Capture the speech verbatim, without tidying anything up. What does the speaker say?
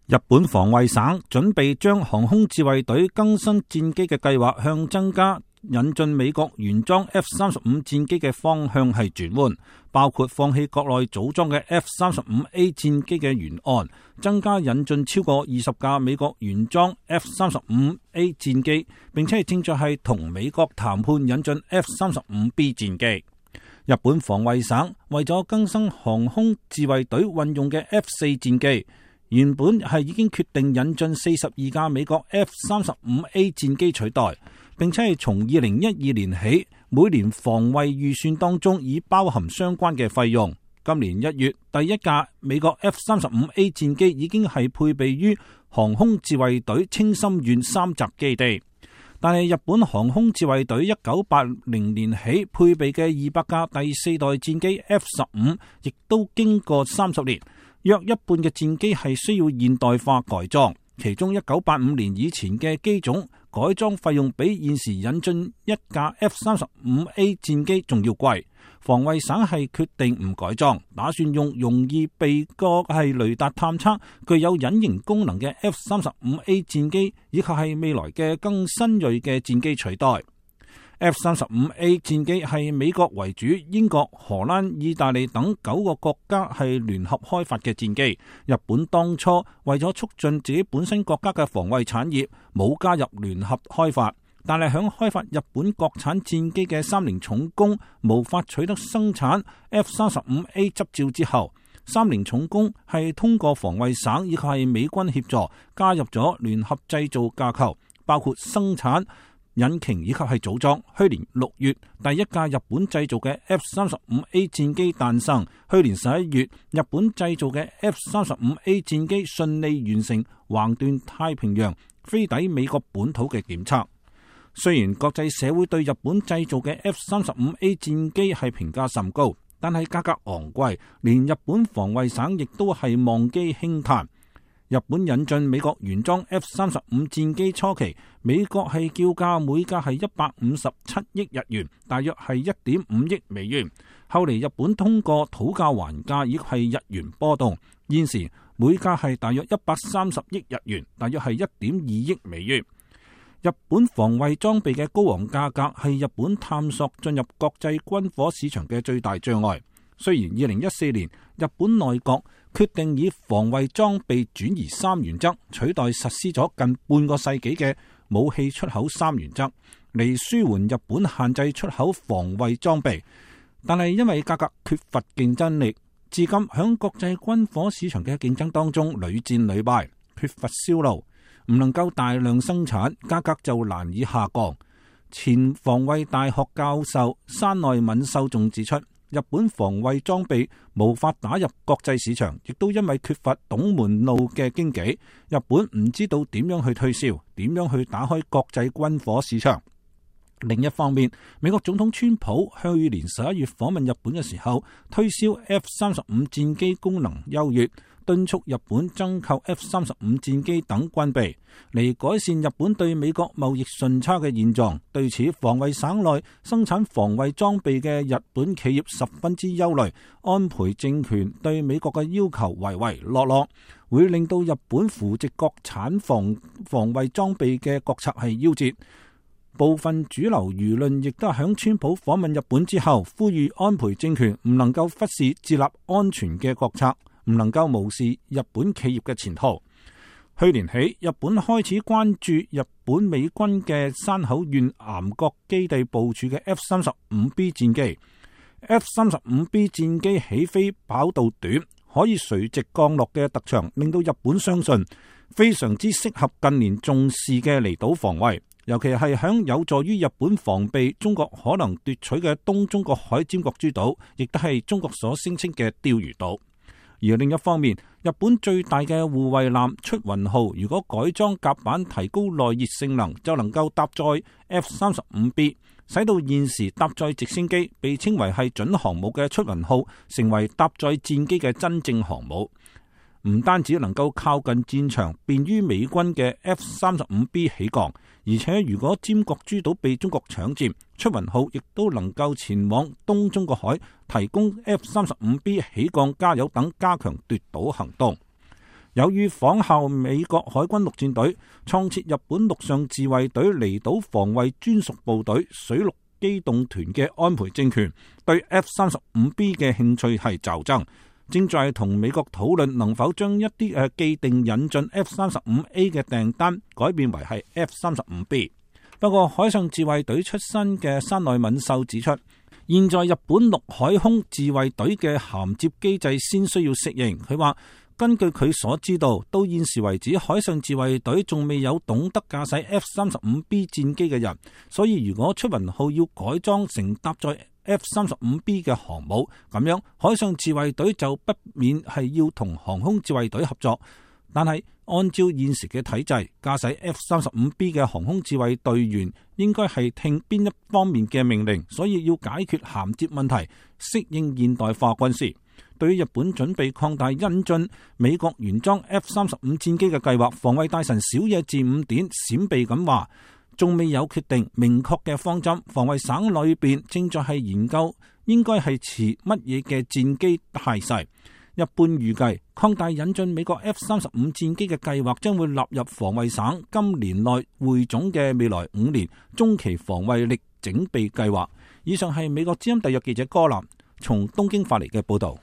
日本防衛省準備將航空自衛隊更新戰機嘅計劃向增加引進美國原裝 F 三十五戰機嘅方向係轉換，包括放棄國內組裝嘅 F 三十五 A 戰機嘅原案，增加引進超過二十架美國原裝 F 三十五 A 戰機，並且係正在係同美國談判引進 F 三十五 B 戰機。日本防衛省為咗更新航空自衛隊運用嘅 F 四戰機，原本係已經決定引進四十二架美國 F 三十五 A 戰機取代，並且係從二零一二年起，每年防衛預算當中已包含相關嘅費用。今年一月，第一架美國 F 三十五 A 戰機已經係配備於航空自衛隊青森縣三澤基地。但係日本航空自衛隊一九八零年起配備嘅二百架第四代戰機 F 十五，亦都經過三十年，約一半嘅戰機係需要現代化改裝，其中一九八五年以前嘅機種改裝費用比現時引進一架 F 三十五 A 戰機仲要貴。防衛省係決定唔改裝，打算用容易被過係雷達探測、具有隱形功能嘅 F 三十五 A 戰機，以及係未來嘅更新銳嘅戰機取代。F 三十五 A 戰機係美國為主，英國、荷蘭、意大利等九個國家係聯合開發嘅戰機。日本當初為咗促進自己本身國家嘅防衛產業，冇加入聯合開發。但係響開發日本國產戰機嘅三菱重工無法取得生產 F 三十五 A 執照之後，三菱重工係通過防衛省以及係美軍協助加入咗聯合製造架構，包括生產引擎以及係組裝。去年六月，第一架日本製造嘅 F 三十五 A 戰機誕生。去年十一月，日本製造嘅 F 三十五 A 戰機順利完成橫斷太平洋飛抵美國本土嘅檢測。雖然國際社會對日本製造嘅 F 三十五 A 戰機係評價甚高，但係價格昂貴，連日本防衛省亦都係望機輕嘆。日本引進美國原裝 F 三十五 戰機初期，美國係叫價每架係一百五十七億日元，大約係一點五億美元。後嚟日本通過討價還價，亦係日元波動，現時每架係大約一百三十億日元，大約係一點二億美元。日本防衛裝備嘅高昂價格係日本探索進入國際軍火市場嘅最大障礙。雖然二零一四年日本內閣決定以防衛裝備轉移三原則取代實施咗近半個世紀嘅武器出口三原則，嚟舒緩日本限制出口防衛裝備，但係因為價格缺乏競爭力，至今響國際軍火市場嘅競爭當中屢戰屢敗，缺乏銷路。唔能夠大量生產，價格就難以下降。前防衛大學教授山內敏秀仲指出，日本防衛裝備無法打入國際市場，亦都因為缺乏懂門路嘅經紀，日本唔知道點樣去推銷，點樣去打開國際軍火市場。另一方面，美國總統川普去年十一月訪問日本嘅時候，推銷 F 三十五 戰機功能優越，敦促日本增購 F 三十五 戰機等軍備，嚟改善日本對美國貿易順差嘅現狀。對此，防衛省內生產防衛裝備嘅日本企業十分之憂慮，安倍政權對美國嘅要求唯唯諾諾，會令到日本扶植國產防防衛裝備嘅國策係夭折。部分主流輿論亦都係響川普訪問日本之後，呼籲安倍政權唔能夠忽視自立安全嘅國策，唔能夠無視日本企業嘅前途。去年起，日本開始關注日本美軍嘅山口縣岩國基地部署嘅 F 三十五 B 戰機。F 三十五 B 戰機起飛跑道短，可以垂直降落嘅特長，令到日本相信非常之適合近年重視嘅離島防衛。尤其係響有助於日本防備中國可能奪取嘅東中國海尖閣諸島，亦都係中國所聲稱嘅釣魚島。而另一方面，日本最大嘅護衛艦出雲號，如果改裝甲板提高耐熱性能，就能夠搭載 F 三十五 B， 使到現時搭載直升機被稱為係準航母嘅出雲號，成為搭載戰機嘅真正航母。唔單止能夠靠近戰場，便於美軍嘅 F 三十五 B 起降，而且如果尖閣諸島被中國搶佔，出雲號亦都能夠前往東中國海，提供 F 三十五 B 起降、加油等，加強奪島行動。有意仿效美國海軍陸戰隊創設日本陸上自衛隊離島防衛專屬部隊水陸機動團嘅安倍政權，對 F 三十五 B 嘅興趣係驟增，正在同美國討論能否將一啲誒既定引進 F 三十五 A 嘅訂單改變為係 F 三十五 B。不過海上自衛隊出身嘅山內敏秀指出，現在日本陸海空自衛隊嘅銜接機制先需要適應。佢話根據佢所知道，到現時為止，海上自衛隊仲未有懂得駕駛 F 三十五 B 戰機嘅人，所以如果出雲號要改裝成搭載 F 三十五 B 嘅航母，咁樣海上自衛隊就不免係要同航空自衛隊合作。但係按照現時嘅體制，駕駛 F 三十五 B 嘅航空自衛隊員應該係聽邊一方面嘅命令，所以要解決銜接問題，適應現代化軍事。對於日本準備擴大引進美國原裝 F 三十五戰機嘅計劃，防衛大臣小野寺五典閃避咁話，仲未有決定明確嘅方針，防衛省裏邊正在係研究應該係持乜嘢嘅戰機態勢。一般預計擴大引進美國 F 三十五戰機嘅計劃將會納入防衛省今年內匯總嘅未來五年中期防衛力整備計劃。以上係美國之音特約記者柯南從東京發嚟嘅報道。